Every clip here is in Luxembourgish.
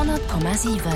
100,7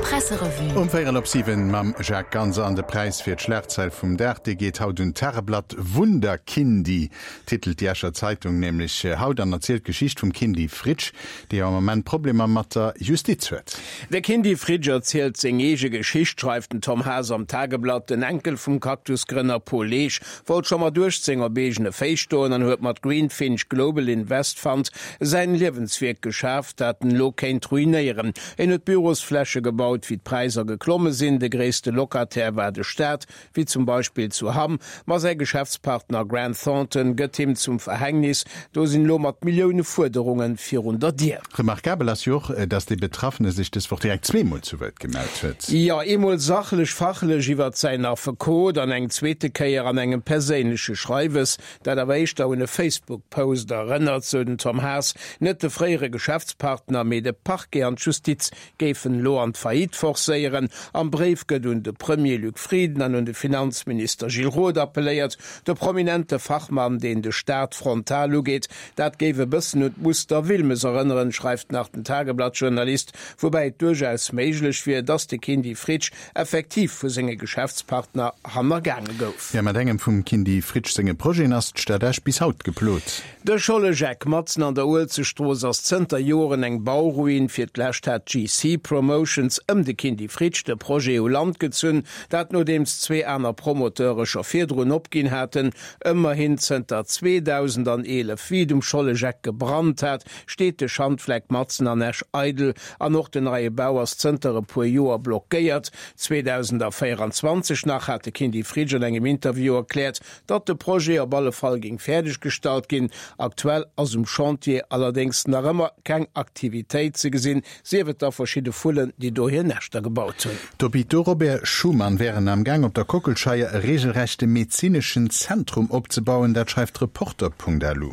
Presserevue. Um véierel op 7 mam Jacques Ganser an de Präis fir d'Schlagzeil vum Dag, dee geet haut un d'Tageblatt. Wunderkindi titelt déi Escher Zeitung nämlech haut an erzielt d'Geschicht vum Kindy Fritsch, dee jo am Ament Problemer mat der Justiz huet. De Kindy Fritsch erzielt seng eege Geschicht, schreift den Tom Haas am Tageblatt. Den Enkel vum Cactus-Grënner Paul Leesch wollt scho mat 18 op eegene Féiss stoen an huet mat Greenfinch Global Invest Fund säin Liewenswierk geschaf, dat en elo kéint ruinéieren. En huet Bürosfläche gebaut, wéi d'Präisser geklomme sinn. De gréisste Locataire war de Staat, wéi zum Beispill zu Hamm, ma säi Geschäftspartner Grant Thornton gëtt him zum Verhängnis. Do sinn elo mat Millioune Fuerderunge virun der Dier. Remarkabel ass jo och, dass dee Betraffene sech dës Woch direkt zweemol zu Wuert gemellt huet. Jo, eemol sachlech, fachlech iwwert säin Affekot an eng zweete Kéier an engem perséinleche Schreiwes, dat awer éischter un e Facebook-Post erënnert, sou den Tom Haas. Net de fréiere Geschäftspartner, mee de Parquet an d'Justiz géifen elo an d'Faillite forcéieren. Am Bréif gëtt un de Premier Luc Frieden an un de Finanzminister Gilles Roth appelléiert. De prominente Fachmann, deen de Staat frontal ugeet, dat géif e bëssen un d'Muster Wilmes erënneren, schreift nach den Tageblatt-Journalist, woubäi et duerchaus méiglech wier, datt de Kindy Fritsch effektiv vu senge Geschäftspartner hannergaange gouf. Jo, mat engem vum Kindy Fritsch senge Projeten ass d'Stad Esch bis haut geplot. De Schollegeck matzen an der Uelzechtstrooss ass zënter Joren eng Bauruin. Fir d'lescht hat d'GC Promotions ëm de Kindy Fritsch de Projet u Land gezunn, dat nodeems zwee aner Promoteure scho virdrun opginn haten. Ëmmerhin zënter 2011, wéi et um Schollegeck gebrannt hat, steet de Schandfleck matzen an Esch eidel an och den neie Bau ass zënter e puer Joer blockéiert. 2024 nach hat de Kindy Fritsch an engem Interview erkläert, Datt de Projet op alle Fall géing fäerdeg gestallt ginn. Aktuell ass um Chantier allerdéngs nach ëmmer keng Aktivitéit ze gesinn, sief et da verschidde Vullen, déi do hir Näschter gebaut hunn. D'Hôpitaux Robert Schuman wären am Gaang op der Kockelscheier e regelrechte medezineschen Zentrum opzebauen, dat schreift Reporter.lu.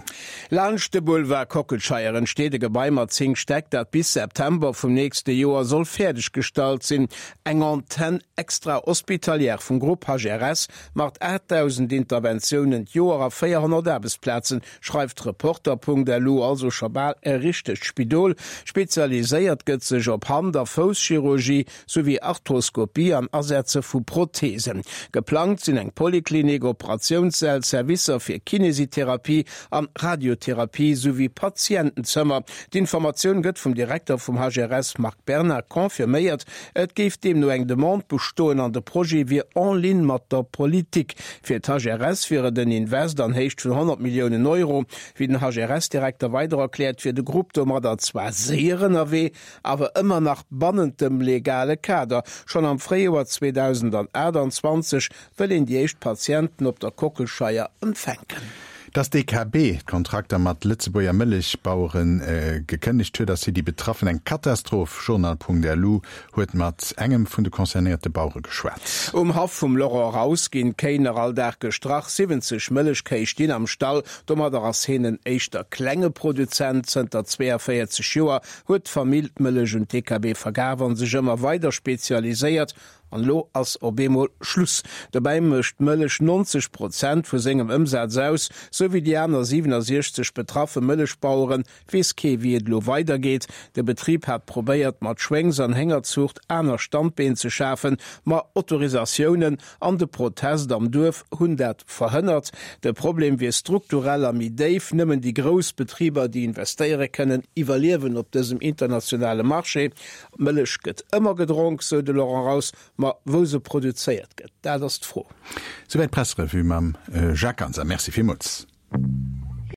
Laanscht de Boulevard Kockelscheier entsteet e Gebai mat 10 Stäck, dat bis September vum nächste Joer soll fäerdeg gestallt sinn. Eng Antenne extra-hospitalière vum Grupp HRS Mat 8.000 Interventiounen d'Joer a 400 Aarbechtsplazen, schreift Reporter.lu, also scho bal e richtegt Spidol. Spezialiséiert gëtt sech op Hand a Fousschirurgie souwéi Arthroskopie an Asetze vu Protheesen. Geplangt sinn eng Poliklinik, Operatiounssäll, Servicer fir Kinesitherapie an Radiotherapie souwéi Patientenzëmmer. D'Informatioun gëtt vum Direkter vum HRS Marc Bernard confirméiert. Et géif deemno eng Demande bestoen an de Projet wier en ligne mat der Politik. Fir d'HRS wier et en Invest an Héicht vun 100 Milliounen Euro. Wéi den HRS-Direkter weider erkläert, wier de Grupp domadder zwar séier ënnerwee, awer ëmmer nach bannent dem legale Kader. Schonn am Fréijoer 2028 wëll een déi éischt Patienten op der Kockelscheier empfänken. Dass d'DKB d'Kontrakter mat Lëtzebuerger Mëllechbauere gekënnegt huet, ass fir déi Betraffen eng Katastroph. Journal.lu huet mat engem vun de concernéierte Bauere geschwat. Um Haff vum Laurent Raus ginn d'Kéi nach all Dag gestrach. 70 Mëllechkéi stinn am Stall. Domadder ass heen en éischter klenge Produzent. Zënter 42 Joer huet d'Famill d'Mëllech un d'DKB verkaf an sech ëmmer weider spezialiséiert. An elo ass op eemol Schluss. Dobäi mécht d'Mëllech 90 Prozent vu sengem Ëmsaz aus. Sou wéi déi aner 67 betraffe Mëllechbaueren, weess kee wéi et elo weidergeet. De Betrib hat probéiert mat Schwéngs an Héngerzuucht aner Standbeen ze schafen, ma Autorisatiounen an de Protest am Duerf hunn dat verhënnert. De Problem wier strukturell a méi déif. Nëmmen déi grouss Betriber, déi investéiere kënnen, iwwerliewen op dësem internationale Marché. Mëllech gëtt ëmmer gedronk, sou de Laurent Raus, ma wou se produzéiert gëtt, dat ass d'Fro. Souwäit d'Pressrevue mam Jacques Ganser. Merci villmools.